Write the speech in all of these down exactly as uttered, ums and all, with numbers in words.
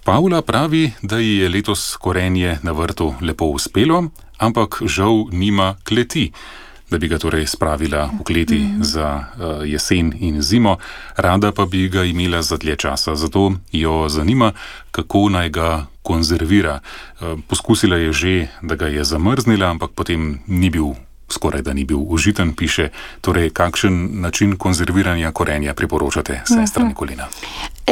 Pavla pravi, da ji je letos korenje na vrtu lepo uspelo, ampak žal nima kleti, da bi ga torej spravila v kleti mm. za uh, jesen in zimo, rada pa bi ga imela za dlje časa. Zato jo zanima, kako naj ga konzervira. Uh, poskusila je že, da ga je zamrznila, ampak potem ni bil, skoraj da ni bil užiten, piše. Torej, kakšen način konzerviranja korenja priporočate, sestra Nikolina?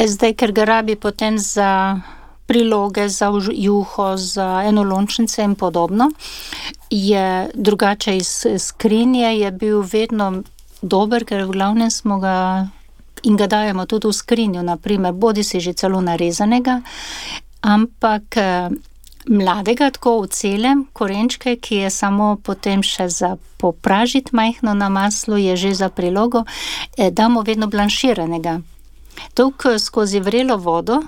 Zdaj, ker ga rabi potem za priloge, za juho, za enolončnice in podobno, je drugače iz skrinje je bil vedno dober, ker v glavnem smo ga in ga dajemo tudi v skrinjo, naprimer, bodi si že celo narezanega, ampak mladega, tako v celem, korenčke, ki je samo potem še za popražiti majhno na maslu, je že za prilogo, damo vedno blanširanega. Tok skozi vrelo vodo,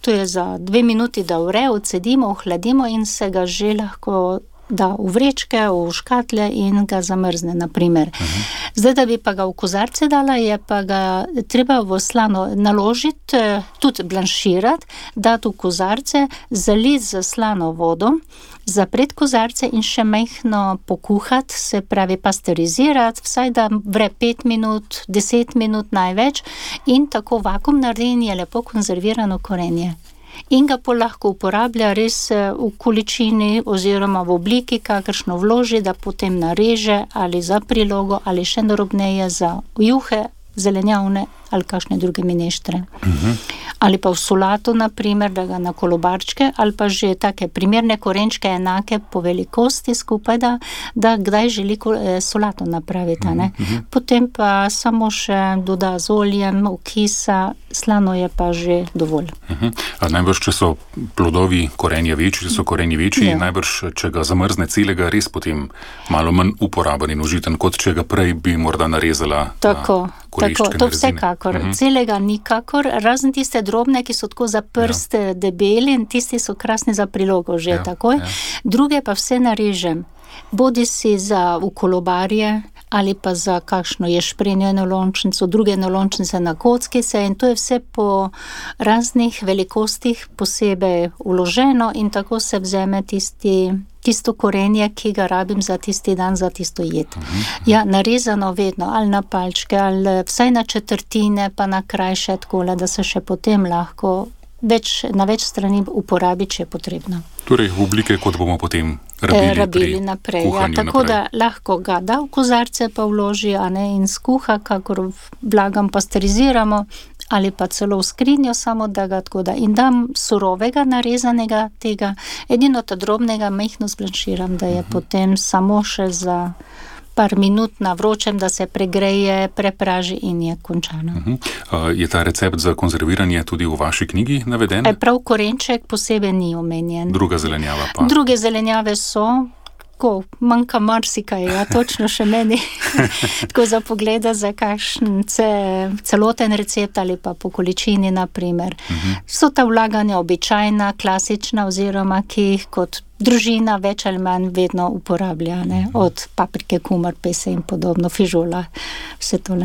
to je za dve minuti, da vre, odcedimo, ohladimo in se ga že lahko da v vrečke, v škatle in ga zamrzne, naprimer. Uh-huh. Zdaj, da bi pa ga v kozarce dala, je pa ga treba v slano naložiti, tudi blanširati, dati v kozarce, zaliti z slano vodo, zapreti kozarce in še majhno pokuhati, se pravi pasteurizirati, vsaj da vre pet minut, deset minut največ in tako vakuum naredi in je lepo konzervirano korenje. In ga pa lahko uporablja res v količini oziroma v obliki, kakršno vloži, da potem nareže ali za prilogo ali še narobneje za juhe, zelenjavne ali kakšne druge mineštre. Uh-huh. Ali pa v solato, naprimer, da ga na kolobarčke, ali pa že take primerne korenčke enake po velikosti skupaj, da, da kdaj želi solato napraviti. Ne? Uh-huh. Potem pa samo še doda z oljem, okisa, slano je pa že dovolj. Uh-huh. A najbrž, če so plodovi korenja večji, če so korenji večji, ja. Najbrž, če ga zamrzne celega, res potem malo manj uporaben in užiten, kot če ga prej bi morda narezala tako, na koleščke. Tako, to vsekakor. Uh-huh. Celega nikakor, razen tiste drobne, ki so tako za prst ja. debeli in tisti so krasni za prilogo že ja. takoj. Ja. Druge pa vse narežem. Bodi si za v kolobarje ali pa za kakšno ješprenjo enolončnico, druge enolončnice na kockice in to je vse po raznih velikostih posebej uloženo in tako se vzeme tisti, tisto korenje, ki ga rabim za tisti dan, za tisto jed. Uh-huh. Ja, narezano vedno, ali na palčke, ali vsaj na četrtine, pa na krajše takole, da se še potem lahko več, na več strani uporabi, če je potrebno. Torej, v oblike, kot bomo potem rabili, rabili naprej. Ja, tako naprej. Da lahko ga da v kozarce pa vloži, a ne, in skuha, kakor blagam pasteuriziramo, ali pa celo v skrinjo, samo da ga tako da. In dam surovega, narezanega tega, edino ta drobnega majhno zblanširam, da je uh-huh. potem samo še za par minut na vročem, da se pregreje, prepraži in je končano. Uh-huh. Uh, je ta recept za konzerviranje tudi v vaši knjigi naveden? E, prav korenček posebej ni omenjen. Druga zelenjava pa? Druge zelenjave so, ko manjka marsikaj, ja, točno še meni. Tako za pogleda za kakšen ce, celoten recept ali pa po količini, naprimer. Uh-huh. So ta vlaganja običajna, klasična, oziroma ki jih kot družina več ali manj vedno uporablja, ne? Od paprike, kumar, pese in podobno, fižola, vse tole.